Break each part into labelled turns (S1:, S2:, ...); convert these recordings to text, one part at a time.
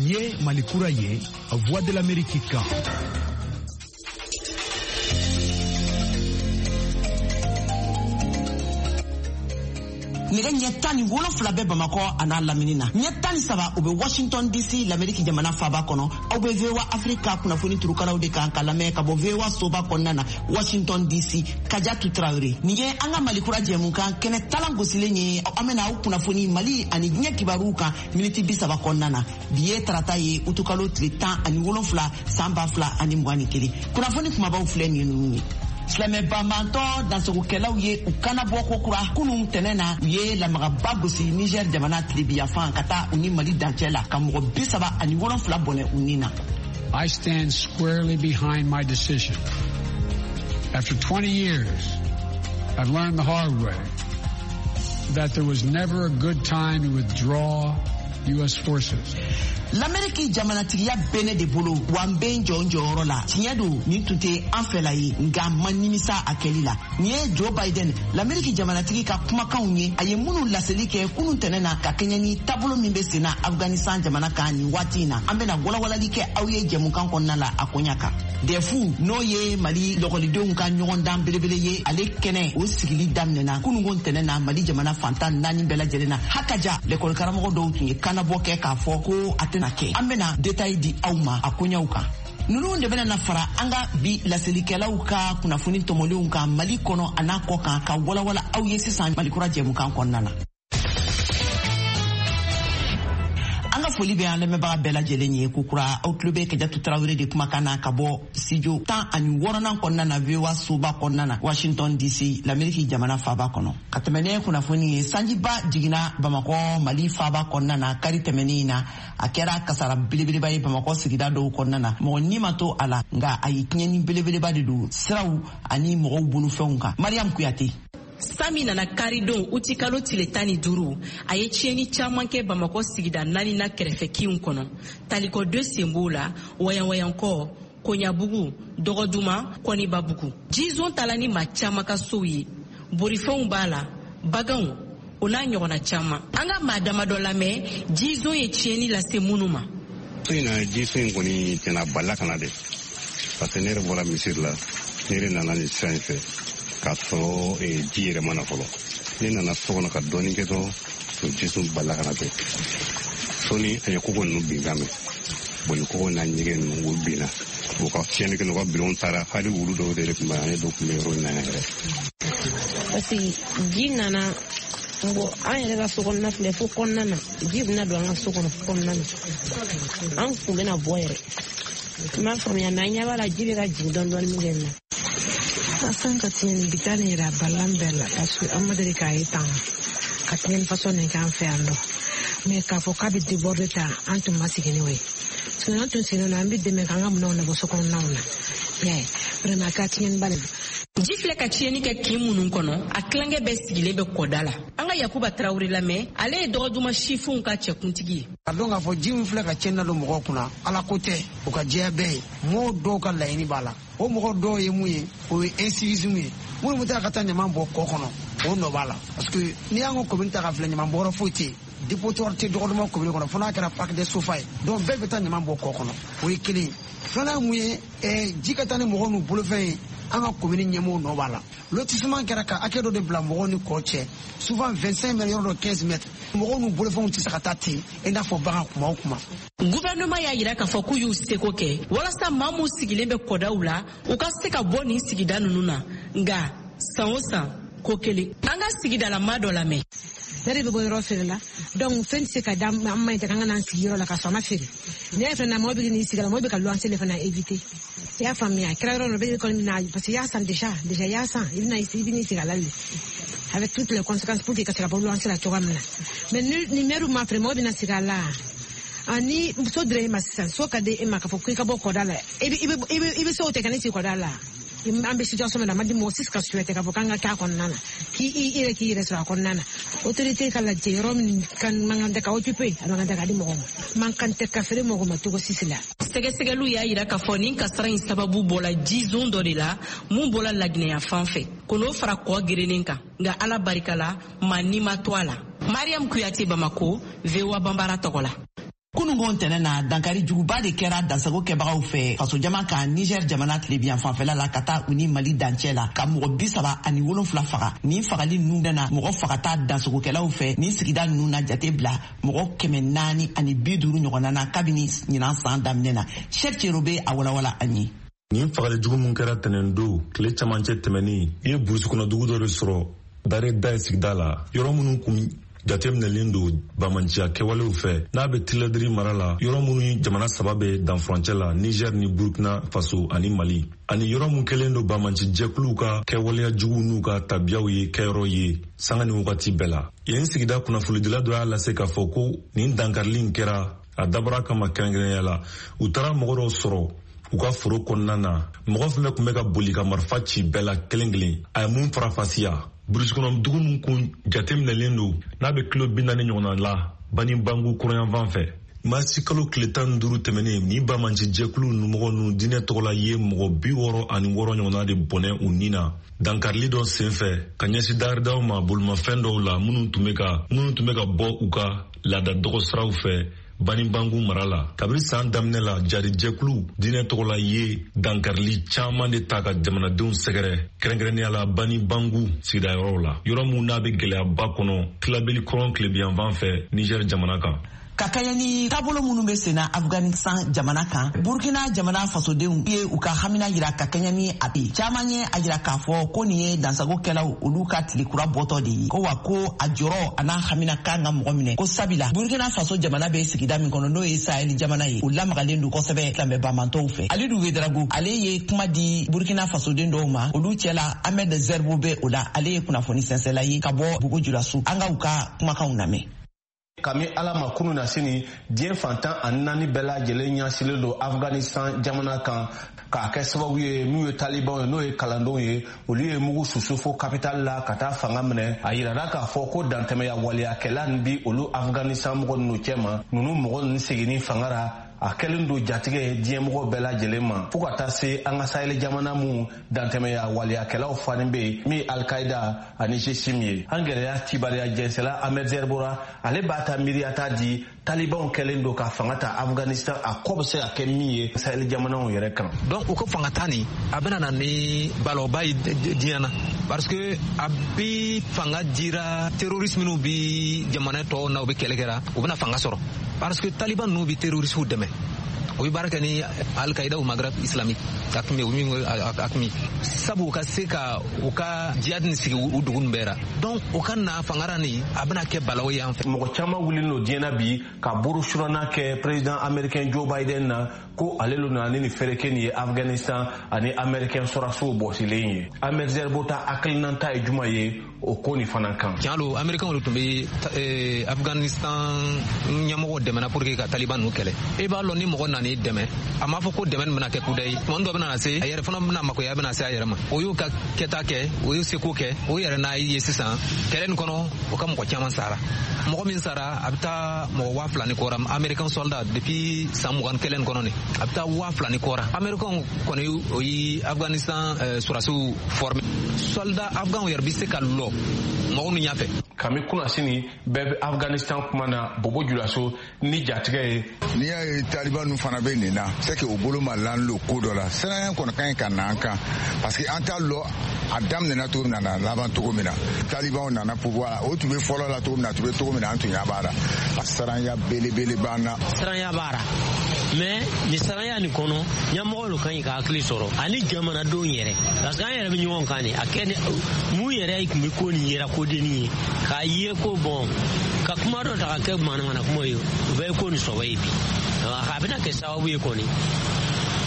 S1: Ye Mali kura ye, Voix de l'Amérique kan.
S2: Nɛgɛ ɲɛ 17 bɛ Bamakɔ a n'a lamini na, ɲɛ 13 o bɛ Washington DC, Lameriki jamana faaba kɔnɔ. Aw bɛ VOA Afrika kunnafoni turukalaw de kan ka lamɛn ka bɔ VOA soba kɔnɔna na, Washington DC. Kajatu Tarawele nin ye an ka Mali kura jɛmukan kɛnɛ talan gosilen ye. An bɛna aw kunnafoni Mali ani diɲɛ kibaruw kan miniti 30 kɔnɔna na. Bi ye tarata ye, utukalo tile 17, san 2021. Kunnafoni kumabaw filɛ nin ye ninnu ye. Silamɛ banbantɔ dansagokɛlaw ye u kanabɔ ko kura kunun tɛnɛ na. U ye lamagaba gosi Niger jamana tilebiyafan ka taa u ni Mali dancɛ la, ka mɔgɔ 37 bɔnɛ u ni na.
S3: I stand squarely behind my decision. After 20 years, I've learned the hard way that there was never a good time to withdraw U.S. forces.
S2: Lameriki jamanatigiya bɛ ne de bolo, wa n bɛ n jɔ n jɔyɔrɔ la. Tiɲɛ don, nin tun tɛ an fɛla ye, nka ma nimisa a kɛli la. Nin ye Joe Biden, Lameriki jamanatigi ka kumakanw ye, a ye minnu laseli kɛ kunun tɛnɛ na ka kɛɲɛ ni taabolo min bɛ senna Afghanistan jamana kan nin waati in na. An bɛna walawalali kɛ aw ye jɛmukan kɔnɔna la a koɲa kan. DEF, n'o ye Mali lɔkɔlidenw ka ɲɔgɔndan belebele ye, ale kɛnɛ o sigili daminɛna kununko tɛnɛ na Mali jamana fantan naani bɛɛ lajɛlen na. Hakaja, lɛkɔli karamɔgɔ dɔw tun ye kannabɔ kɛ k'a fɔ ko a tɛna kɛ. An bɛna détail di aw ma a koɲɛw kan. Ninnu de bɛna na fara an ka bi laselikɛlaw ka kunnafoni tɔmɔlenw kan Mali kɔnɔ a n'a kɔ kan, ka walawala aw ye sisan Malikura jɛmukan kɔnɔna na. An ka foli bɛ an lamɛnbaga bɛɛ lajɛlen ye kokura. Aw tulo bɛ Kajatu Tarawele de kumakan na ka bɔ studio 16nan kɔnɔna na, VOA soba kɔnɔna na, Washington DC, Lameriki jamana faaba kɔnɔ. Ka tɛmɛ ne kunnafoni ye, sanjiba jiginna Bamakɔ, Mali faaba kɔnɔna na kari tɛmɛnen in na. A kɛra kasara belebeleba ye Bamakɔ sigida dɔw kɔnɔna na. Mɔgɔ ni ma to a la, nka a ye tiɲɛni belebeleba de don siraw ani mɔgɔw bolofɛnw kan. Mariam Kuyate.
S4: San min nana karidon utikalo tile 15, a ye tiɲɛni caman kɛ Bamakɔ sigida naani na kɛrɛfɛ kinw kɔnɔ. Talikɔ 2 sen b'o la, Wayanwayankɔ, Koɲabugu, Dɔgɔduma, Kɔnibabugu. Jizon tala ni maa caman ka sow ye, borifɛnw b'a la, baganw, o n'a ɲɔgɔnna caman. An ka maa damadɔ lamɛn jizon ye tiɲɛni lase minnu ma.
S5: So in na, jiso in kɔni tiɲɛna, balila ka na de, parce que ne yɛrɛ bɔra misiri la, ne yɛrɛ nana nin sira in fɛ k'a sɔrɔ ji yɛrɛ ma na fɔlɔ. Ne nana so kɔnɔ ka dɔɔnin kɛ dɔrɔn, o jiso balila ka na ten. Sɔɔni a ye koko ninnu binkan mɛn. Bon, koko n'a ɲɛgɛn ninnu, o binna, o ka tiɲɛni kɛ, n'u ka bulon taara, hali wulu dɔw de tun bɛ an ye, dɔw tun bɛ yɔrɔ in na yan yɛrɛ.
S6: Parce que ji nana bon, an yɛrɛ ka so kɔnɔna filɛ, fo kɔnɔna na ji bɛna don an ka so kɔnɔ kɔnɔna na. An kun bɛna bɔ yɛrɛ, n m'a faamuya, mais an ɲɛ b'a la ji bɛ ka jigin dɔɔni dɔɔni min kɛ nin na.
S7: San ka tiɲɛni bi taa nin yɛrɛ, a balan bɛɛ la, parce que an ma deli k'a ye tan ka tiɲɛni façon nin k'an fɛ yan nɔ. Mais k'a fɔ k'a bɛ déborder tan, an tun ma sigi n'o ye. Sinon an tun sigilen don, an bɛ dɛmɛ k'an ka minɛnw labɔ so kɔnɔnaw na. Mais vraiment, a kɛra tiɲɛniba de.
S4: Ji filɛ ka tiɲɛni kɛ kin minnu kɔnɔ, a tilankɛ bɛɛ sigilen bɛ kɔda la. An ka Yakuba Tarawele lamɛn, ale ye Dɔgɔduma sifinw ka cɛkuntigi ye.
S8: A dɔn k'a fɔ ji min filɛ ka tiɲɛni na don mɔgɔw kunna, Ala ko tɛ, o ka jɛya bɛɛ ye. Mɔgɔw dɔw ka laɲini b'a la. O mɔgɔ dɔw ye mun ye? O ye incivisme ye. Minnu bɛ taa ka taa ɲaman bɔ kɔ kɔnɔ, o nɔ b'a la, parce que n'i y'an ka commune ta ka filɛ, ɲaman bɔyɔrɔ foyi tɛ yen, dépotoir tɛ Dɔgɔduma commune kɔnɔ, fo n'a kɛra parc des Sofa ye. Donc bɛɛ bɛ taa ɲaman bɔ kɔ kɔnɔ, o ye kelen ye. Filanan ye mun ye? Ji ka taa ni mɔgɔw n'u bolofɛn ye, an ka commune ɲɛmɔgɔw nɔ b'a la. Lotissement kɛra ka hakɛ dɔ de bila mɔgɔw ni kɔ cɛ, souvent 25 mètres, yɔrɔ dɔ 15 mètres. Mɔgɔw n'u bolofɛnw tɛ se ka taa ten i n'a fɔ bagan kuma o kuma.
S4: Gouvernement y'a yira k'a fɔ k'u y'u seko kɛ walasa maa minnu sigilen bɛ kɔdaw la, u ka se ka bɔ nin sigida ninnu na, nka san o san ko kelen. An ka sigidala maa dɔ lamɛn.
S7: Ne de bɛ bɔ yɔrɔ feere la, donc fɛn tɛ se ka da an ma ɲi tɛ k'an ka n'an sigi yɔrɔ la ka sɔn a ma feere. Ne yɛrɛ fana, mɔgɔ bɛ n'i sigi la, mɔgɔ bɛ ka luwanse de fana éviter. I y'a faamuya, a kɛra yɔrɔ dɔ bɛ kɔni na, parce que i y'a san déjà, déjà i y'a san, i bɛna i bɛ n'i sigi a la de avec toutes les conséquences pour que ka se ka bɔ luwanse la cogoya min na. Mais ni maire ma feere, mɔgɔ bɛna sigi a la. Ani so dira e ma sisan, so ka di e ma k'a fɔ k'i ka bɔ kɔda la, i bɛ so tɛ ka ne sigi kɔda la. An bɛ situation min na, a ma di mɔgɔ si ka souhaiter k'a fɔ k'an ka k'a kɔnɔna na, k'i i yɛrɛ k'i yɛrɛ sɔrɔ a kɔnɔna na. Autorité ka lajɛ yɔrɔ min kan man kan tɛ ka occuper, a man kan tɛ ka di mɔgɔ ma, man kan tɛ ka feere mɔgɔ ma cogo si la.
S4: Sɛgɛsɛgɛliw y'a yira k'a fɔ nin kasara in sababu bɔla jizon dɔ de la mun bɔla Laginɛya fan fɛ ko n'o fara kɔ gerennen kan, nka Ala barika la, maa ni ma to a la. Mariam Kuyate, Bamako, VOA Banbara tɔgɔ la.
S2: Kunungo ntɛnɛn na, dankari juguba de kɛra dansago kɛbagaw fɛ fasojama kan Niger jamana tilebiyan fanfɛla la, ka taa u ni Mali dancɛ la, ka mɔgɔ 37 faga. Nin fagali ninnu na, mɔgɔ fagata dansagokɛlaw fɛ nin sigida ninnu na jate bila mɔgɔ 450 ɲɔgɔnna na kabini ɲinan san daminɛ na. Cheick Tiero bɛ a walawala an ye.
S9: Nin fagali jugu min kɛra tɛnɛn don tile camancɛ tɛmɛnin i ye burusi kɔnɔ dugu dɔ de sɔrɔ Dare da sigida la, yɔrɔ minnu kun jateminɛlen don bamanciya kɛwalew fɛ, n'a bɛ Tiladiri mara la, yɔrɔ minnu jamana saba bɛ danfurancɛ la, Niger ni Burkina Faso ani Mali, ani yɔrɔ min kɛlen don bamanci jɛkuluw ka kɛwaleya juguw n'u ka tabiyaw ye kɛyɔrɔ ye sanga ni wagati bɛɛ la. Yen sigida kunnafonidila dɔ y'a lase k'a fɔ ko nin dankarili in kɛra a dabɔra kama kɛrɛnkɛrɛnya la. U taara mɔgɔ dɔw sɔrɔ u ka foro kɔnɔna na, mɔgɔ fɛn fɛn tun bɛ ka boli ka marifa ci bɛɛ la kelen kelen. A ye mun farafasiya, burusi kɔnɔ dugu min kun jateminɛlen don, n'a bɛ kilo 40 ɲɔgɔnna la Bani Bangu kɔrɔnyanfan fɛ, marisi kalo tile 15 tɛmɛnen, nin bamanci jɛkulu mɔgɔ ninnu diinɛ tɔgɔla ye mɔgɔ 66 ɲɔgɔnna de bɔnɛ u ni na dankarili dɔ sen fɛ ka ɲɛsin daridaw ma bolimafɛn dɔw la, minnu tun bɛ ka bɔ u ka laada dɔgɔsiraw fɛ Bani Bangu mara la. Kabini san daminɛ la, jarijɛkulu diinɛ tɔgɔla ye dankarili caman de ta ka jamanadenw sɛgɛrɛ, kɛrɛnkɛrɛnnenya la Bani Bangu sigida yɔrɔw la, yɔrɔ min n'a bɛ gɛlɛyaba kɔnɔ Tilabeli kɔrɔn tilebiyanfan fɛ Niger jamana kan.
S2: Ka kɛɲɛ ni taabolo minnu bɛ senna Afghanistan jamana kan, Burkina jamana fasodenw ye u ka hamina yira ka kɛɲɛ ni a ye. Caman ye a yira k'a fɔ ko nin ye dansagokɛlaw olu ka tile kura bɔtɔ de ye, ko wa ko a jɔrɔ a n'a hamina kan ka mɔgɔ minɛ, ko sabila Burkina Faso jamana bɛ sigida min kɔnɔ, n'o ye Sahel jamana ye, o lamagalen don kosɛbɛ silamɛ bamantɔw fɛ. Alidu Wedrago, ale ye kuma di Burkina fasoden dɔw ma, olu cɛla Ahmed Zerbo bɛ o la. Ale ye kunnafoni sɛnsɛla ye ka bɔ Bobo Julaso. An ka u ka kumakanw lamɛn.
S10: Kami ala ma kunu na sini, diɲɛ fantan ani naani bɛɛ lajɛlen ɲɛsilen don Afghanistan jamana kan, k'a kɛ sababu ye n'u ye talibanw ye, n'o ye kalandenw ye, olu ye mugu susu fo kapitali la ka taa fanga minɛ. A yirara k'a fɔ ko dantɛmɛya waleyakɛla nin bi olu Afghanistan mɔgɔ ninnu cɛma. Ninnu mɔgɔ ninnu seginni fanga ra, a kɛlen don jatigɛ ye diɲɛmɔgɔ bɛɛ lajɛlen ma, fo ka taa se an ka Sahel jamana mun dantɛmɛya waleyakɛlaw fani bɛ yen, min ye Alkaida ani GSIM ye. An gɛlɛya cibaliya jɛnsɛla Ahmed Zerbora, ale b'a ta miiriyata di talibanw kɛlen don ka fanga ta Afghanistan, a kɔ bɛ se ka kɛ min ye Sahel jamanaw yɛrɛ kan.
S11: Donc u ka fanga ta nin, a bɛna na ni balɔba ye diɲɛ na, parce que a bi fanga dira terroriste minnu bi jamana tɔw na, u bɛ kɛlɛ kɛra, u bɛna fanga sɔrɔ, parce que taliban ninnu bi terroriste dɛmɛ, o bɛ baara kɛ ni Al-Qaïda ou Maghreb islamique, AQMI, o min AQMI, sabu u ka se ka u ka jihad nin sigi u dugu nin bɛɛ ra. Donc u ka na fanga ra nin, a bɛna kɛ balawu ye an fɛ.
S10: Mɔgɔ caman wulilen don diɲɛ na bi ka boro surana kɛ président américain Joe Biden na, ko ale lo nana ni nin fɛrɛkɛ nin ye Afghanistan ani américain sɔrɔsiw bɔsilen ye. Ahmed Zerbo ta hakilinata ye juma ye o ko nin fana kan?
S11: Tiɲɛ lo, américain de tun bɛ Afghanistan ɲɛmɔgɔw dɛmɛna pour que ka taliban ninnu kɛlɛ. I b'a lɔn, ni mɔgɔ nan'i dɛmɛ, a m'a fɔ ko dɛmɛ nin bɛna kɛ kuda ye. Tuma dɔ bɛna se, a yɛrɛ fana bɛna makoya bɛna se a yɛrɛ ma. O y'u ka kɛta kɛ, o y'u seko kɛ, o yɛrɛ n'a ye sisan kɛlɛ nin kɔnɔ, o ka mɔgɔ caman sara. Mɔgɔ min sara, a bɛ taa mɔgɔ 2000 ni kɔ ra, américain soldat, depuis san 20 kɛlɛ nin kɔnɔ nin, a bɛ taa 2000 ni kɔ ra. Américain kɔni, o ye Afghanistan sɔrɔdasiw former. Soldat afghan yɛrɛ bɛ se ka lɔ mɔgɔw ni ɲɛfɛ.
S10: Kami kunnasini bɛɛ bɛ Afghanistan kuma na Bobo Julaso ni jatigɛ ye.
S12: N'i y'a ye taliban ninnu fana bɛ nin na, c'est que o bolo ma lan lo ko dɔ la. Siranya kɔni ka ɲi ka na an kan, parce que an t'a lɔ a daminɛna cogo min na, a laban cogo min na. Talibanw nana pouvoir la, o tun bɛ fɔlɔ la cogo min na, a tun bɛ cogo min na, an tun ɲɛ b'a la. A siranya belebele b'an na.
S13: Siranya b'a la, mais nin siranya nin kɔnɔ, ɲɛmɔgɔ lo ka ɲi ka hakili sɔrɔ ani jamanadenw yɛrɛ, parce que an yɛrɛ bɛ ɲɔgɔn kan de. A kɛ ni mun yɛrɛ tun bɛ ko nin yɛrɛ kodenni ye k'a ye ko bɔn ka kuma dɔ ta ka kɛ manamana kuma ye, o bɛɛ ye ko nin sɔbɛ ye bi. A bɛna kɛ sababu ye kɔni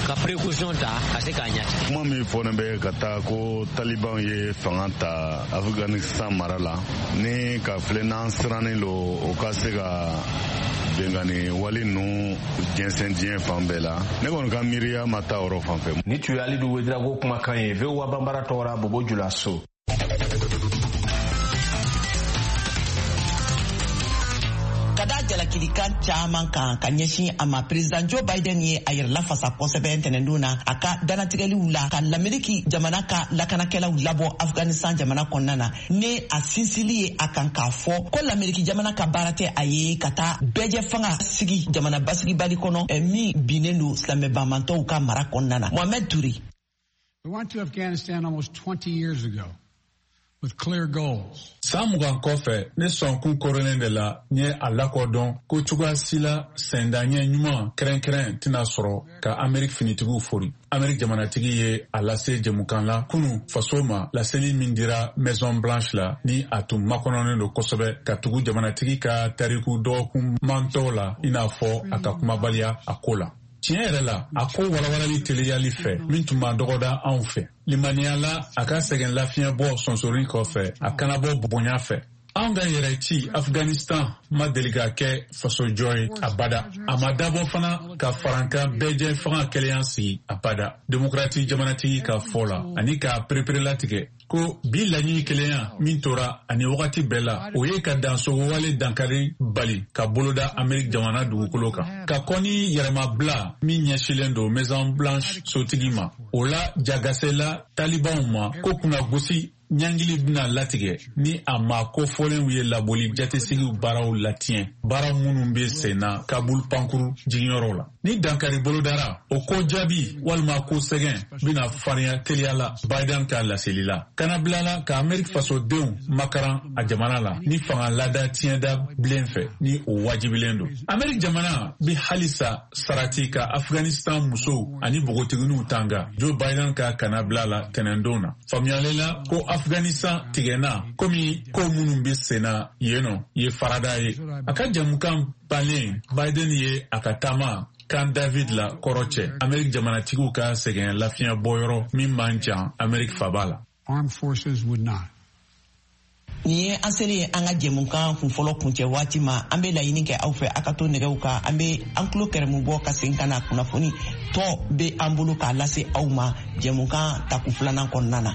S13: ka précaution ta ka se k'a ɲɛtigɛ.
S14: Kuma min fɔlen bɛ ka taa ko talibanw ye fanga ta Afghanistan mara la ni ka filɛ, n'an sirannen lo o ka se ka bengani wale ninnu jɛnsɛn diɲɛ fan bɛɛ la, ne kɔni ka miiriya ma taa yɔrɔ fan fɛ.
S10: Ni tun ye Alidu Wedrago kumakan ye VOA Banbara tɔgɔra Bobo Julaso.
S2: Ka da jalaki. jalakilikan caman kan ka ɲɛsin a ma, President Joe Biden ye a yɛrɛ lafasa kosɛbɛ ntɛnɛndon na a ka danatigɛliw la ka Lameriki jamana ka lakanakɛlaw labɔ Afghanistan jamana kɔnɔna na, ni a sinsili ye a kan k'a fɔ ko Lameriki jamana ka baara tɛ a ye ka taa bɛɛjɛ fanga sigi jamana basigibali kɔnɔ min binnen don silamɛ banbantɔw ka mara kɔnɔna na. Mohamed Touré.
S3: We went to Afghanistan almost 20 years ago with clear goals.
S15: San 20 kɔfɛ, ne sɔnkun koronnen de la n ye a lakodɔn ko cogoya si la sendaɲɛ ɲuman kɛrɛnkɛrɛn tɛna sɔrɔ ka Ameriki finitigiw fori. Ameriki jamanatigi ye a lase jɛmukan la kunu faso ma, laseli min dira Maison Blanche la, ni a tun makɔnɔnen don kosɛbɛ ka tugu jamanatigi ka tariku dɔgɔkun mantɔw la, i n'a fɔ a ka kumabaliya a ko la. Tiɲɛ yɛrɛ la, a ko walawalali teliyali fɛ min tun ma dɔgɔda anw fɛ. Limaniya la a ka sɛgɛn lafiɲɛ bɔ sonsori kɔfɛ, a kana bɔ bonya fɛ. Anw ka yɛrɛ ci Afghanistan ma deli ka kɛ fasojɔ ye abada. A ma dabɔ fana ka farankan bɛɛjɛ fanga kɛlɛya sigi abada. Demokrati jamanatigi ka fɔ la ani k'a pereperelatigɛ ko bi laɲini kelenya min tora ani wagati bɛɛ la, o ye ka dansogowale dankari bali ka boloda Ameriki jamana dugukolo kan, ka kɔn ni yɛrɛmabila min ɲɛsilen don Maison Blanche sotigi ma. O la jagasela talibanw ma ko kunnagosi ɲangili bɛna latigɛ ni a ma kofɔlenw ye laboli jatesigiw baaraw latiɲɛ, baara minnu bɛ sen na Kabul pankuru jiginyɔrɔw la. Ni dankari bolodara, o ko jaabi walima ko sɛgɛn bɛna farinya teliya la. Biden ka laseli la, kana bila la ka Ameriki fasodenw makaran a jamana la ni fanga lada tiɲɛda bilen fɛ, ni o wajibilen don. Ameriki jamana bɛ halisa sarati ka Afghanistan musow ani npogotigininw tanga. Joe Biden ka kana bila la tɛnɛndon na, faamuyalen la ko Afghanistan tigɛna komi ko minnu bɛ senna yen nɔ ye farada ye. A ka jamukan balen, Biden ye a ka taama Camp David la kɔrɔ cɛ, Ameriki jamanatigiw ka sɛgɛn lafiɲɛ bɔyɔrɔ min man jan Ameriki faba la.
S3: Armed forces would not.
S2: Nin ye an selen ye an ka jɛmukan kunfɔlɔ kuncɛ waati ma. An bɛ laɲini kɛ aw fɛ, a ka to nɛgɛw kan. An bɛ an tulo kɛrɛmu bɔ ka segin ka na, kunnafoni tɔ bɛ an bolo k'a lase aw ma jɛmukan tako filanan kɔnɔna na.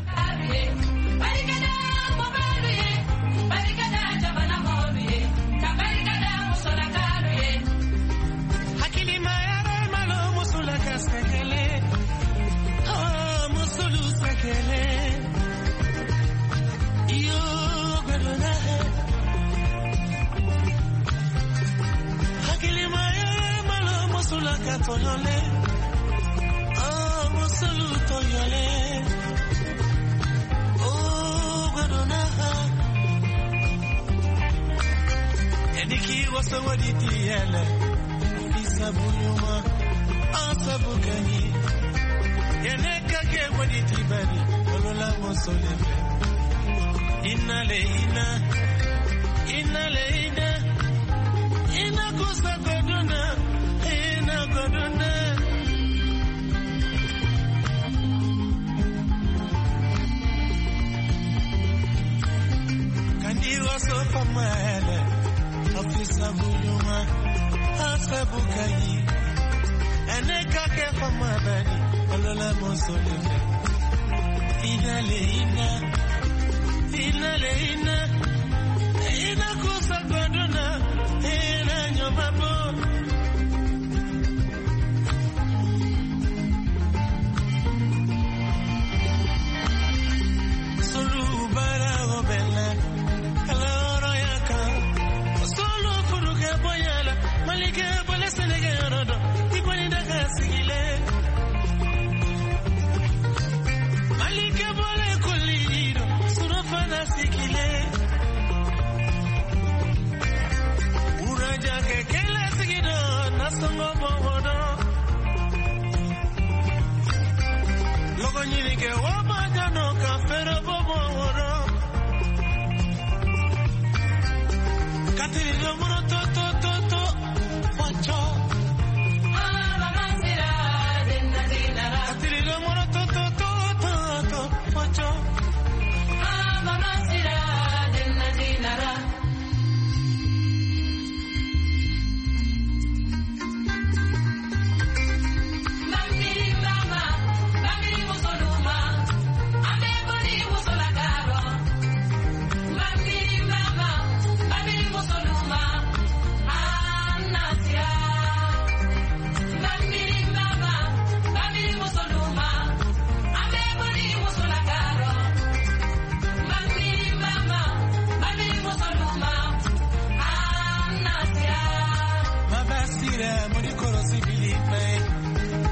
S16: possibilité.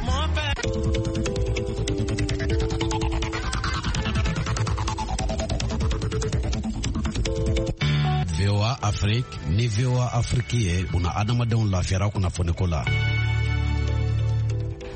S16: Mon père.
S17: VOA Afrique ni VOA Afrique ye buna adamadenw lafiyara kunnafoniko la.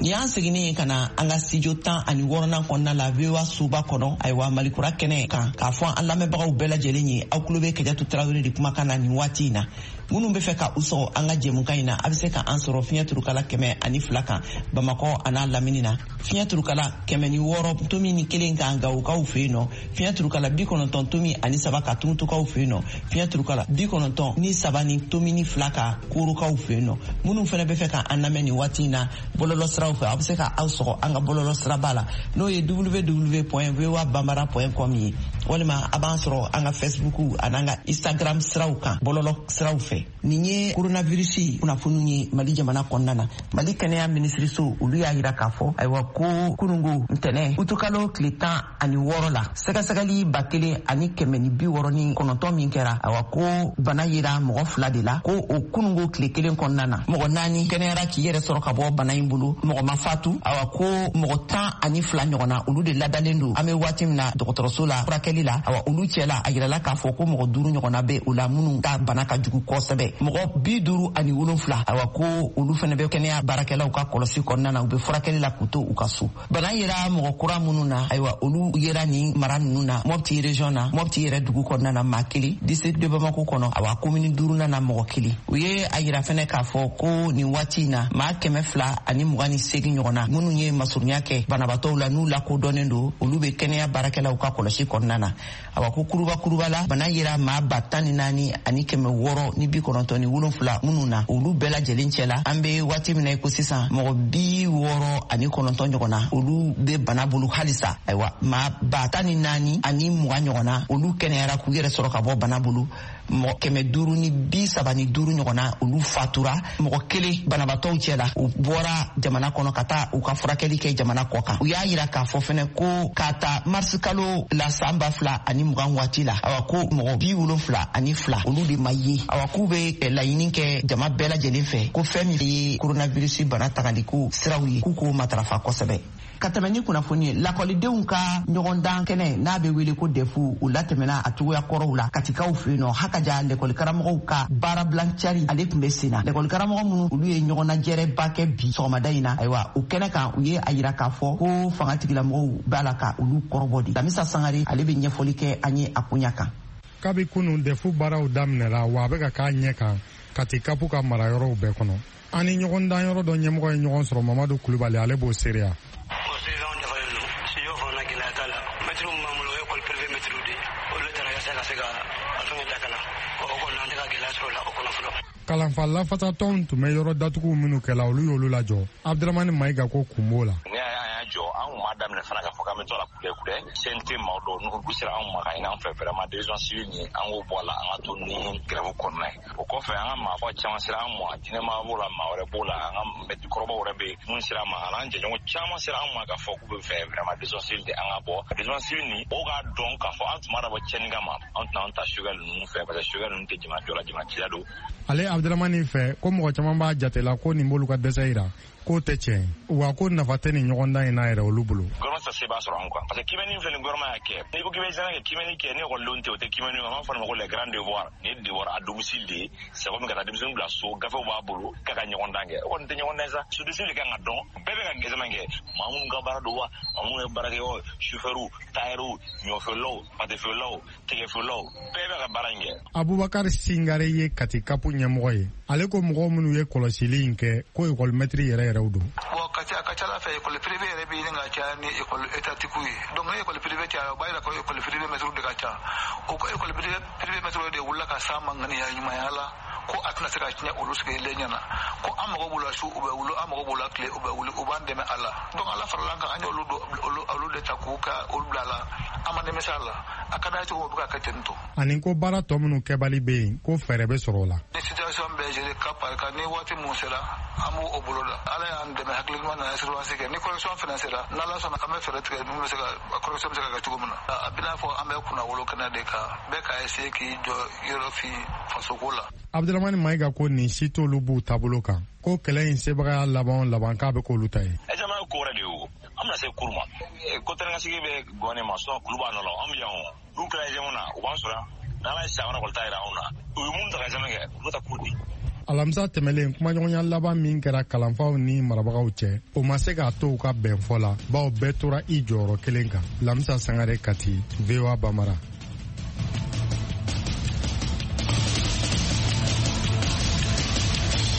S2: Ni y'an seginnen ye ka na an ka studio 16nan kɔnɔna la VOA soba kɔnɔ, ayiwa, Malikura kɛnɛ kan, k'a fɔ an lamɛnbagaw bɛɛ lajɛlen ye, aw tulo bɛ Kajatu Tarawele de kumakan na nin waati in na. Minnu bɛ fɛ ka u sɔgɔ an ka jɛmukan in na, a bɛ se ka an sɔrɔ fiɲɛ turukala 102 kan Bamakɔ a n'a lamini na, fiɲɛ turukala 106.1 kan Gawokaw fɛ yen nɔ, fiɲɛ turukala 90.3 kan Tumutukaw fɛ yen nɔ, fiɲɛ turukala 93.2 kan Korokaw fɛ yen nɔ. Minnu fana bɛ fɛ ka an lamɛn nin waati in na bɔlɔlɔ siraw fɛ, aw bɛ se ka aw sɔgɔ an ka bɔlɔlɔ siraba la, n'o ye www.voabambara.com ye, walima a b'an sɔrɔ an ka Facebook an'an ka Instagram siraw kan bɔlɔlɔ siraw fɛ. Nin ye coronavirus kunnafoniw ye Mali jamana kɔnɔna na. Mali kɛnɛya minisiriso, olu y'a yira k'a fɔ, ayiwa, ko kunungo ntɛnɛ utukalo tile 16 la, sɛgɛsɛgɛli 1169 min kɛra, ayiwa, ko bana yera mɔgɔ 2 de la, ko o kunungo tile kelen kɔnɔna na, mɔgɔ 4 kɛnɛyara k'i yɛrɛ sɔrɔ ka bɔ bana in bolo, mɔgɔ ma fatu. Ayiwa, ko mɔgɔ 12 ɲɔgɔnna, olu de ladalen don an bɛ waati min na dɔgɔtɔrɔso la furakɛli la. Ayiwa, olu cɛla, a yirala k'a fɔ ko mɔgɔ 5 ɲɔgɔnna bɛ o la minnu ka bana ka jugu kosɛbɛ. Mɔgɔ 57, ayiwa, ko olu fana bɛ kɛnɛya baarakɛlaw ka kɔlɔsi kɔnɔna na, u bɛ furakɛli la k'u to u ka so. Bana yera mɔgɔ kura minnu na, ayiwa, olu yera nin mara ninnu na: Mɔpti région na, Mɔpti yɛrɛ dugu kɔnɔna na, maa 1, district de Bamako kɔnɔ, awa, commune 5nan na, mɔgɔ 1. U ye a yira fɛnɛ k'a fɔ ko nin waati in na, maa 228 ɲɔgɔn na minnu ye masurunya kɛ banabaatɔw la, n'u lakodɔnnen don, olu bɛ kɛnɛya baarakɛlaw ka kɔlɔsi kɔnɔna na. Awa, ko kuruba kuruba la, bana yera maa 14,697 minnu na, olu bɛɛ lajɛlen cɛ la, an bɛ waati min na i ko sisan, mɔgɔ 69 ɲɔgɔn na, olu bɛ bana bolo halisa. Ayiwa, maa 14,020 ɲɔgɔn na, olu kɛnɛyara k'u yɛrɛ sɔrɔ ka bɔ bana bolo. Mɔgɔ 535 ɲɔgɔn na, olu fatura. Mɔgɔ 1 banabaatɔw cɛ la, u bɔra jamana kɔnɔ ka taa u ka furakɛli kɛ jamana kɔ kan. U y'a yira k'a fɔ fɛnɛ ko k'a ta marisi kalo la san 2020 waati la, awa, ko mɔgɔ 72, olu de ma ye. Awa, k'u bɛ laɲini kɛ jama bɛɛ lajɛlen fɛ ko fɛn min ye coronavirus bana tangaliko siraw ye, k'u k'o matarafa kosɛbɛ. Ka tɛmɛ ni kunnafoni ye, lakɔlidenw ka ɲɔgɔndan kɛnɛ n'a bɛ wele ko DEF, u latɛmɛna a cogoya kɔrɔw la Katikaw fɛ yen nɔ. Hakaja, lɛkɔlikaramɔgɔw ka baarabilan cari, ale tun bɛ sen na. Lɛkɔlikaramɔgɔ minnu, olu ye ɲɔgɔnnajɛrɛba kɛ bi sɔgɔmada in na, ayiwa, o kɛnɛ kan, u ye a yira k'a fɔ ko fanga tigilamɔgɔw b'a la ka olu kɔrɔbɔ de. Lamisa Sangare, ale bɛ ɲɛfɔli kɛ an ye a koɲa kan.
S18: Kabi kunun, DEF baaraw daminɛla, wa a bɛ ka k'a ɲɛ kan Kati kapu ka marayɔrɔw bɛɛ kɔnɔ. An ni ɲɔgɔndanyɔrɔ dɔ ɲɛmɔgɔ ye ɲɔgɔn sɔrɔ, Mamadu Kulubali, ale b'o seereya. Kalanfa lafasatɔnw tun bɛ yɔrɔ datuguw minnu kɛla, olu y'olu lajɔ. Abdramani Mayiga ko kun b'o la.
S19: Ne y'a jɔ, an kun m'a daminɛ fana k'a fɔ k'an bɛ to a la kudɛ kudɛ. CNT maaw dɔw n'u sera anw ma ka ɲini an fɛ, vraiment décision civile nin, an k'o bɔ a la, an ka to ni grève kɔnɔna ye. O kɔfɛ, an ka maafa caman sera an ma, diinɛmaa b'o la, maa wɛrɛ b'o la, an ka mɛtiri kɔrɔbaw wɛrɛ bɛ yen minnu sera an ma, an'an jɛɲɔgɔn caman sera an ma k'a fɔ k'u bɛ fɛ vraiment décision civile de an ka bɔ. Décision civile nin, mɔgɔw k'a dɔn k'a fɔ an tun b'a dabɔ tiɲɛni kama, an tɛna an ta Choguel ninnu fɛ, parce que Choguel ninnu tɛ jamana jɔ la, jamana cila don.
S18: Ale Abdramani fɛ ko mɔgɔ caman b'a jate la ko nin b'olu ka dɛsɛ yira, k'o tɛ tiɲɛ, wa ko nafa tɛ nin ɲɔgɔndan in n'a yɛrɛ olu bolo.
S19: Gouvernement ta se b'a sɔrɔ an kan, parce que kimɛni filɛ nin, gouvernement y'a kɛ. N'i ko k'i bɛ examen kɛ, kimɛni kɛ ni ekɔlidenw tɛ, o tɛ kimɛni ye. An b'a fɔ nin ma ko les grands devoirs. Nin ye devoir à domicile de ye, c'est comme ka taa denmisɛnnin bila so, gafew b'a bolo k'a ka ɲɔgɔndan kɛ. O kɔni tɛ ɲɔgɔndan ye sa. Société de kan ka dɔn, bɛɛ bɛ ka examen kɛ, maa minnu ka baara don wa, maa minnu ye baara kɛ wa, chauffeur, tailleur, ɲɔfeerelaw, pâte feerelaw, tɛgɛfeerelaw, bɛɛ bɛ ka baara in kɛ.
S18: Abubakar Singare ye Kati kapu ɲɛmɔgɔ ye. Ale ko mɔgɔ minnu ye kɔlɔsili in kɛ, ko ekɔlimɛtiri yɛrɛ yɛrɛw don.
S20: Bon, Kati, a ka ca ala fɛ, école privée yɛrɛ bɛ ɲini ka caya ni école étatique ye. Donc ni école privée cayara, o b'a yira ko école privée mɛtiriw de ka ca. O ko école privée mɛtiriw de wulila ka s'a ma ŋaniya ɲumanya la ko a tɛna se ka tiɲɛ olu sigilen ɲɛna, ko an mago b'u la su, u bɛ wuli, an mago b'u la tile, u bɛ wuli, u b'an dɛmɛ a la. Donc Ala farala an kan, an y'olu olu de ta k'u ka olu bila a la. An ma nimisa a la. A ka d'a ye cogo o bɛ ka kɛ ten tɔ.
S18: Ani ko baara tɔ minnu kɛbali bɛ yen, ko fɛɛrɛ bɛ sɔrɔ o la.
S20: Ni situation bɛɛ géré cas par cas, ni waati mun sera, an b'o o bolo da. Ala y'an dɛmɛ, hakili ɲuman nana surveillance kɛ. Ni correction fana sera, n'Ala sɔnna, an bɛ fɛɛrɛ tigɛ min bɛ se ka correction bɛ se ka kɛ cogo min na. A bɛna fɔ an bɛ kunnawolo kɛnɛ de kan, bɛɛ ka essayer k'i jɔ yɔrɔ fin fasoko la.
S18: Abdramani Mayiga ko nin si t'olu b'u taabolo kan, ko kɛlɛ in sebagaya laban o laban k'a bɛ k'olu ta ye.
S19: Examen ye ko wɛrɛ de ye o. An bɛna se cour ma. Ko tɛnɛkasigi bɛ gɔni ma, sinon kulu b'a nɔ la, an bɛ yan o. N'u kɛra examen na, u b'an sɔrɔ yan. N'Ala ye san wɛrɛ kɔni ta yira anw na. U ye mun ta ka examen kɛ, u bɛ taa cour di.
S18: Alamisa tɛmɛlen, kumaɲɔgɔnya laban min kɛra kalanfaw ni marabagaw cɛ, o ma se k'a to u ka bɛnfɔ la, bawo bɛɛ tora i jɔyɔrɔ kelen kan. Lamisa Sangare, Kati, VOA Bambara.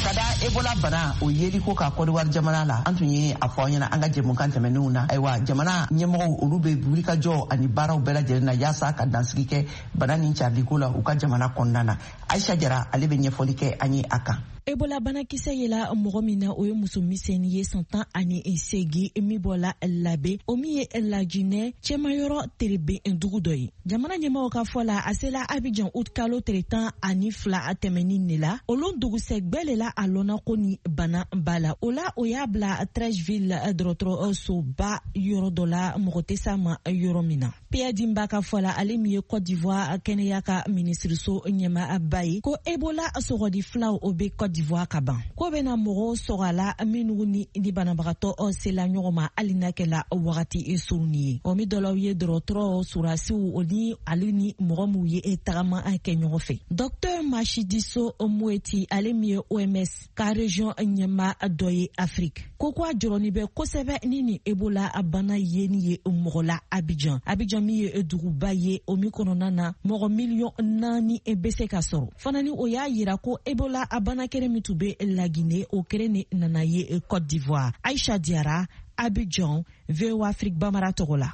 S2: Ka da Ebola bana o yeliko ka Kɔdiwari jamana la, an tun ye a fɔ an ɲɛna an ka jɛmukan tɛmɛnenw na. Ayiwa, jamana ɲɛmɔgɔw olu bɛ wulikajɔ ani baaraw bɛɛ lajɛlen na yaasa ka dansigi kɛ bana nin cariliko la u ka jamana kɔnɔna na. Aisha Jara, ale bɛ ɲɛfɔli kɛ an ye a kan.
S4: Ebola banakisɛ yela mɔgɔ min na, o ye muso misɛnnin ye, san 18, min bɔla Labe, o min ye Lajinɛ cɛmayɔrɔ terebe dugu dɔ ye. Jamana ɲɛmɔgɔw ka fɔ la, a sela Abidjan ut kalo tile 12 tɛmɛnin de la. Olu dugusɛgbɛ le la a lɔnna ko ni bana b'a la. O la, o y'a bila Treichville dɔgɔtɔrɔsoba yɔrɔ dɔ la, mɔgɔ tɛ s'a ma yɔrɔ min na. Pierre Dimba ka fɔ la, ale min ye Côte d'Ivoire kɛnɛya ka minisiriso ɲɛmaaba ye, ko Ebola sɔgɔdi filaw o bɛ Côte d'Ivoire ka ban, ko bɛna mɔgɔw sɔgɔ a la minnu ni banabagatɔ sela ɲɔgɔn ma, hali n'a kɛla wagati surunni ye. O min dɔlaw ye dɔgɔtɔrɔ surasiw o ni ale ni mɔgɔ minnu ye tagama kɛ ɲɔgɔn fɛ. Docteur Matshidiso Moeti, ale min ye OMS ka région ɲɛma dɔ ye Afrique, ko ko a jɔrɔni bɛ kosɛbɛ ni Ebola bana yeni ye mɔgɔ la Abidjan. Abidjan min ye duguba ye, o min kɔnɔna na mɔgɔ 4 miliyɔn bɛ se ka sɔrɔ fana. Ni o y'a yira ko Ebola bana kelen min tun bɛ Lagine, o kelen de nana ye Côte d'Ivoire. Aisha Diara, Abidjan, VOA Afrique Bambara tɔgɔ la.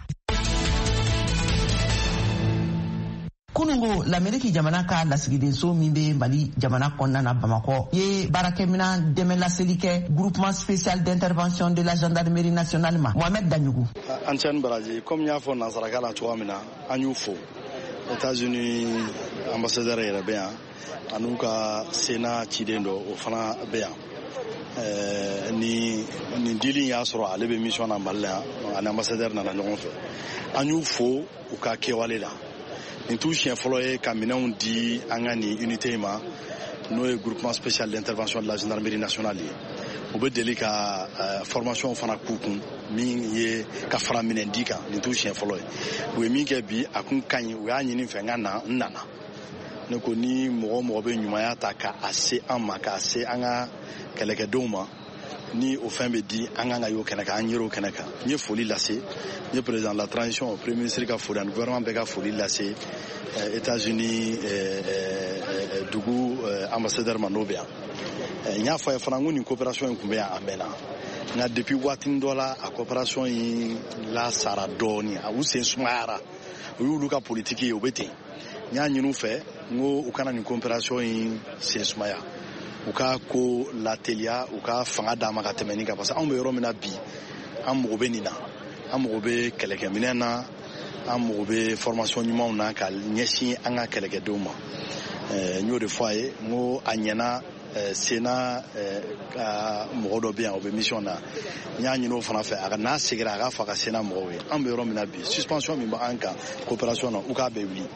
S2: Kunungo, Lameriki jamana ka lasigidenso min bɛ Mali jamana kɔnɔna na Bamakɔ ye baarakɛminan dɛmɛ laseli kɛ Groupement spécial d'intervention de la gendarmerie nationale ma. Mohamed Daɲugu.
S14: An cɛ ni baraji. Komi n y'a fɔ nansaraka la cogoya min na, an y'u fo. États-Unis ambassadeur yɛrɛ bɛ yan, an'u ka Sénat ciden dɔ, o fana bɛ yan. Ni nin dili y'a sɔrɔ ale bɛ mission na Mali la yan, ani ambassadeur nana ɲɔgɔn fɛ. An y'u fo u ka kɛwale la. Nin t'u siɲɛ fɔlɔ ye ka minɛnw di an ka nin unité in ma, n'o ye Groupement spécial d'intervention de la gendarmerie nationale ye. U bɛ deli ka formation fana k'u kun min ye ka fara minɛn di kan. Nin t'u siɲɛ fɔlɔ ye. U ye min kɛ bi, a kun ka ɲi. U y'a ɲini fɛ n ka na, n nana. Ne ko ni mɔgɔ o mɔgɔ bɛ ɲumanya ta k'a se an ma, k'a se an ka kɛlɛkɛdenw ma, ni o fɛn bɛ di an kan ka y'o kɛnɛ kan, an yer'o kɛnɛ kan. N ye foli lase, n ye président de la transition, premier ministre ka foli ani gouvernement bɛɛ ka foli lase États-Unis dugu ambassadeur ma, n'o bɛ yan. N y'a fɔ a ye fana, n ko nin coopération in tun bɛ yan a mɛnna, nka depuis waatinin dɔ la, a coopération in lasara dɔɔni, a u sen sumayara. O y'olu ka politique ye, o bɛ ten. N y'a ɲini u fɛ, n ko u kana nin coopération in sen sumaya, u ka ko lateliya, u ka fanga d'a ma ka tɛmɛ nin kan, parce que anw bɛ yɔrɔ min na bi, an mago bɛ nin na, an mago bɛ kɛlɛkɛminɛn na, an mago bɛ formation ɲumanw na ka ɲɛsin an ka kɛlɛkɛdenw ma. N y'o de fɔ a ye, n ko a ɲɛna. Sénat ka mɔgɔ dɔ bɛ yan, o bɛ mission na. N y'a ɲini o fana fɛ, a ka n'a seginna, a k'a fɔ a ka Sénat mɔgɔw ye, an bɛ yɔrɔ min na bi, suspension min b'an kan coopération na, u k'a bɛɛ wuli,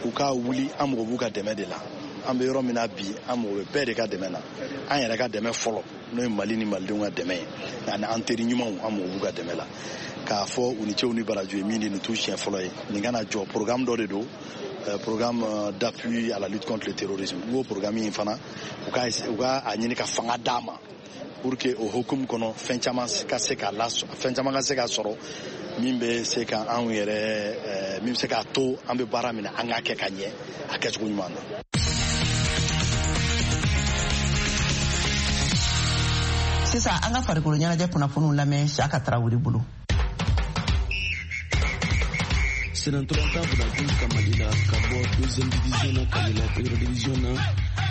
S14: u k'a wuli. An mago b'u ka dɛmɛ de la. An bɛ yɔrɔ min na bi, an mago bɛ bɛɛ de ka dɛmɛ na. An yɛrɛ ka dɛmɛ fɔlɔ, n'o ye Mali ni malidenw ka dɛmɛ ye, ani an teri ɲumanw, an mago b'u ka dɛmɛ la. K'a fɔ u ni cɛw ni barajo ye min di, nin t'u siɲɛ fɔlɔ ye. Nin kana jɔ, programme dɔ de don, programme d'appui à la lutte contre le terrorisme. N ko programme in fana, u ka a ɲini ka fanga d'a ma pour que o hukumu kɔnɔ, fɛn caman ka se ka la, fɛn caman ka se ka sɔrɔ min bɛ se ka anw yɛrɛ, min bɛ se k'a to an bɛ baara min na, an k'a kɛ ka ɲɛ a kɛcogo ɲuman na.
S2: Sisan, an ka farikolo ɲɛnajɛ kunnafoniw lamɛn Siyaka Tarawele bolo.
S21: Senatɔrɔntan bɛna ka Mali la ka bɔ deuxième division na ka yɛlɛ première division na,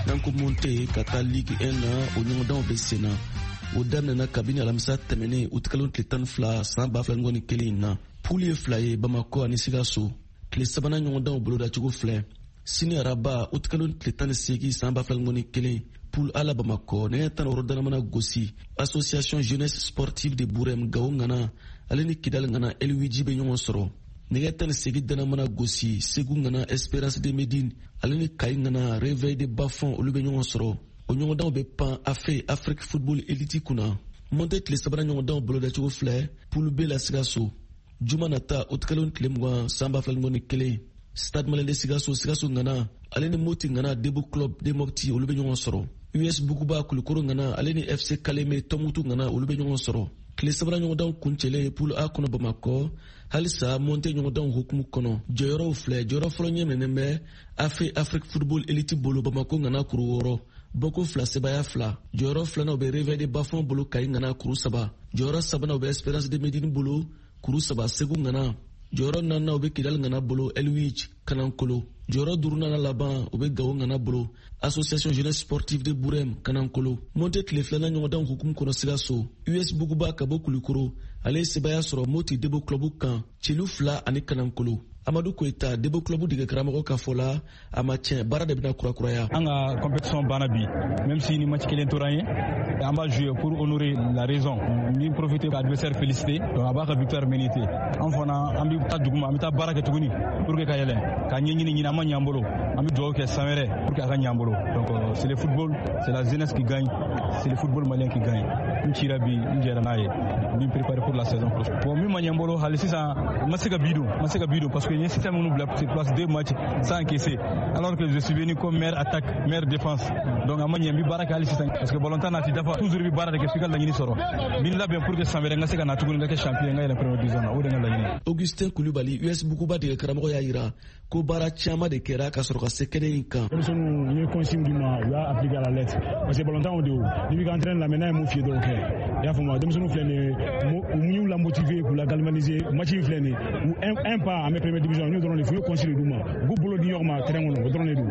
S21: n'an ko monte ka taa Ligue 1 na, o ɲɔgɔndanw bɛ sen na. O daminɛna kabini alamisa tɛmɛnen, utikalo tile 12 san 2021 in na. Poule ye fila ye, Bamakɔ ani Sikaso. tile sabanan ɲɔgɔndanw bolodacogo filɛ. Sini araba, utikalo tile 18 san 2021, poule A la Bamakɔ, nɛgɛ 16 dana mana gosi, Association Jeunesse Sportive de Burem Gawo ŋana ale ni Kidal ŋana Elwiji bɛ ɲɔgɔn sɔrɔ. Nɛgɛ 18 dana mana gosi, Segu ŋana Espérance de Médine ale ni Kayi ŋana Réveil de Bafon olu bɛ ɲɔgɔn sɔrɔ. O ɲɔgɔndanw bɛ pan AFE Afrique Football Elite kunna. Montée tile sabanan ɲɔgɔndanw bolodacogo filɛ, poule B la Sikaso. Juma nata, utikalo tile 20 san 2021, Stade Malien de Sikaso, Sikaso ŋana ale ni Moti ŋana Debo Club de Mopti olu bɛ ɲɔgɔn sɔrɔ. US Buguba Kulukoro ŋana ale ni FC Kaleme Tɔmutu ŋana olu bɛ ɲɔgɔn sɔrɔ. Tile sabanan ɲɔgɔndanw kuncɛlen poule A kɔnɔ Bamakɔ, halisa montée ɲɔgɔndanw hukumu kɔnɔ. Jɔyɔrɔw filɛ, jɔyɔrɔ fɔlɔ ɲɛ minɛnen bɛ AFE Afrique Football Elite bolo Bamakɔ ŋana kuru 6, bɔko 2 sebaaya 2. Jɔyɔrɔ filanan bɛ Réveil de Bafon bolo Kayi ŋana kuru 3. Jɔyɔrɔ sabanan bɛ Espérance de Médine bolo kuru 3 Segu ŋana. Jɔyɔrɔ naaninan bɛ Kidal ŋana bolo Elwich Kanankolo. Jɔyɔrɔ duurunan laban o bɛ Gawo ŋana bolo Association Jeunesse Sportive de Burem Kanankolo. Montée tile filanan ɲɔgɔndanw hukumu kɔnɔ Sikaso, US Buguba ka bɔ Kulukoro ale ye sebaaya sɔrɔ Moti Debo Club kan celu 2 ani Kanankolo. Amadu Koyita, Debo Club dege karamɔgɔ ka fɔ la, a ma tiɲɛ, baara de bɛna kurakuraya.
S1: An ka compétition banna bi, même si ni match kelen tora an ye, an b'a jouer pour honorer la raison. N bɛ profiter ka adversaire féliciter, donc a b'a ka victoire mériter. An fana an bɛ taa duguma, an bɛ taa baara kɛ tuguni pour que ka yɛlɛ, ka ɲɛɲini ɲini, an ma ɲɛ an bolo. An bɛ dugawu kɛ san wɛrɛ pour que a ka ɲɛ an bolo. Donc c'est le football, c'est la jeunesse qui gagne, c'est le football malien qui gagne. N cira bi, n jɛra n'a ye. N bɛ préparer pour la saison prochaine. Bon, min ma ɲɛ n bolo hali sisan, n ma se ka bi don, n ma se ka bi don parce que n ye système minnu bila sur place 2 matchs sans encaisser, alors que je suis venu comme meilleure attaque, meilleure défense. Donc a ma ɲɛ, n bɛ baara kɛ hali sisan parce que ballon tan n'a ti dafa, toujours i bɛ baara de kɛ f'i ka laɲini sɔrɔ. N bɛ labɛn pour que san wɛrɛ n ka se ka na tuguni, n ka kɛ champion, n ka yɛlɛ première division na, o de ye n ka laɲini.
S21: Augustin Kulubali, US Buguba dege karamɔgɔ y'a yira ko baara caman de kɛra ka sɔrɔ ka se kɛnɛ in kan.
S22: Denmisɛnninw, n ye consigne d'u ma, u y'a appliqué à la lettre parce que ballon tan o de o, n'i b'i ka entraîneur lamɛn, n'a ye mun f'i ye dɔrɔn kɛ. I y'a faamu, denmisɛnninw filɛ nin ye, u y'u la motiver k'u la galvaniser. Match in filɛ nin ye, u un pas an bɛ première division, n y'o dɔrɔn de f'u ye, consigne d'u ma, u k'u bolo di ɲɔgɔn ma terrain kɔnɔ, o dɔrɔn de don.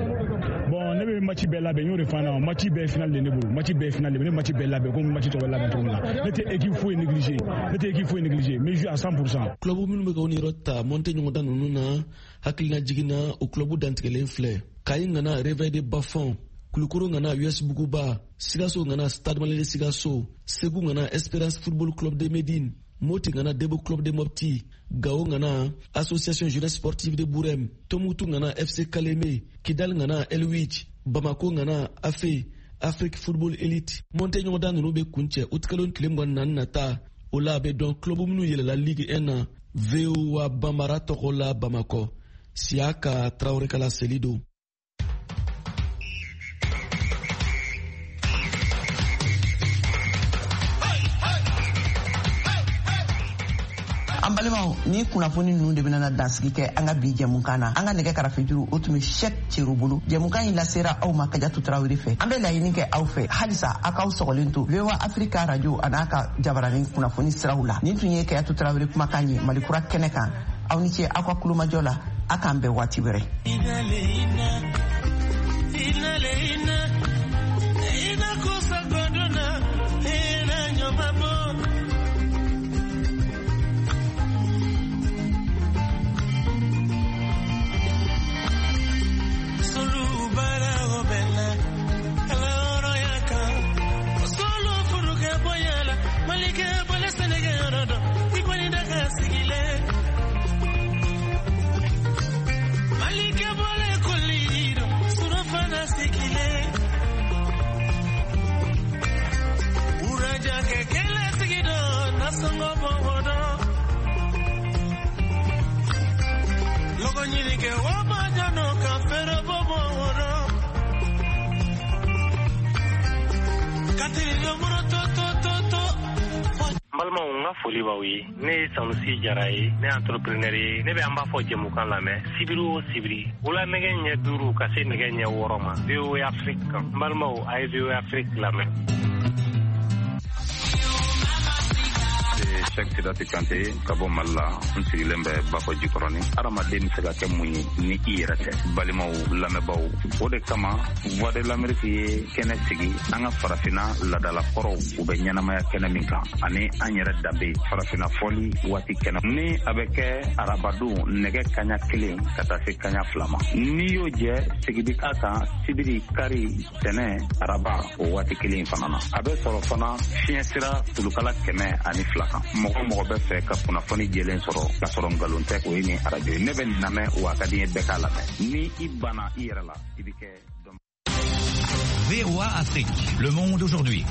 S22: Bon, ne bɛ match bɛɛ labɛn, n y'o de fɔ an ɲɛna, match bɛɛ final de ne bolo, match bɛɛ final de, ne match bɛɛ labɛn komi match tɔ bɛ labɛn cogo min na. Ne tɛ équipe foyi négliger, ne tɛ équipe foyi négliger, n bɛ jouer à 100%.
S21: Club minnu bɛ ka u niyɔrɔ ta montée ɲɔgɔndan ninnu na, hakilina jiginna o club dantigɛlen filɛ. Kayi ŋana Réveil de Bafon, Kulukoro ŋana US Buguba, Sikaso ŋana Stade Malien de Sikaso, Segu ŋana Espérance Football Club de Médine, Moti ŋana Debo Club de Mopti, Gao ŋana Association Jeunesse Sportive de Burem, Tomutu ŋana FC Kaleme, Kidal ŋana Elwich, Bamako ŋana AFE Afrique Football Elite. Montée ɲɔgɔndan ninnu bɛ kuncɛ utikalo tile 24 nata. O la a bɛ dɔn club minnu yɛlɛla Ligue 1 na. VOA Bambara tɔgɔ la Bamakɔ, Siyaka Tarawele kala seli don.
S2: An balimaw, ni kunnafoni ninnu de bɛna dansigi kɛ an ka bi jɛmukan na. An ka nɛgɛ karafejuru o tun bɛ Shɛk Cero bolo. Jɛmukan in lasera aw ma Kajatu Tarawele fɛ. An bɛ laɲini kɛ aw fɛ halisa aw k'aw sɔgɔlen to VOA Africa Radio a n'a ka jabaranin kunnafoni siraw la. Nin tun ye Kajatu Tarawele kumakan ye Mali kura kɛnɛ kan. Aw ni ce aw ka kulomajɔ la, a k'an bɛn waati wɛrɛ.
S23: N balimaw, n ka foli b'aw ye. Ne ye Sanusi Jara ye, ne ye entrepreneur ye. Ne bɛ an b'a fɔ jɛmukan lamɛn sibiri o sibiri wula nɛgɛ ɲɛ 5 ka se nɛgɛ ɲɛ 6 ma VOA Afrique kan. N balimaw, a ye VOA Afrique lamɛn.
S5: Cheikh.
S6: Sidati Kante ka bɔ Mali la. N sigilen bɛ Bakɔ Jikɔrɔni. Hadamaden bɛ se ka kɛ mun ye ni i yɛrɛ tɛ? Balimaw, lamɛnbaaw, o de kama Voix de l'Amérique ye kɛnɛ sigi an ka farafinna ladalakɔrɔw, u bɛ ɲɛnamaya kɛnɛ min kan, ani an yɛrɛ danbe farafinna fɔli waati kɛnɛ ni a bɛ kɛ arabadon nɛgɛ kaɲa 1 ka taa se kaɲa 2 ma. N'i y'o jɛ, sigi bi k'a kan sibiri, kari, tɛnɛ, araba, o waati kelen fana na. A bɛ sɔrɔ fana fiɲɛ sira tulukala 102 kan. Mɔgɔ mɔgɔ bɛ fɛ ka kunnafoni jɛlen sɔrɔ k'a sɔrɔ nkalon tɛ, o ye nin arajo ye. Ne bɛ nin lamɛn, wa a ka di n ye bɛɛ k'a lamɛn. Ni i banna i yɛrɛ la, i bɛ kɛ.
S7: VOA Afrique, le monde aujourd'hui.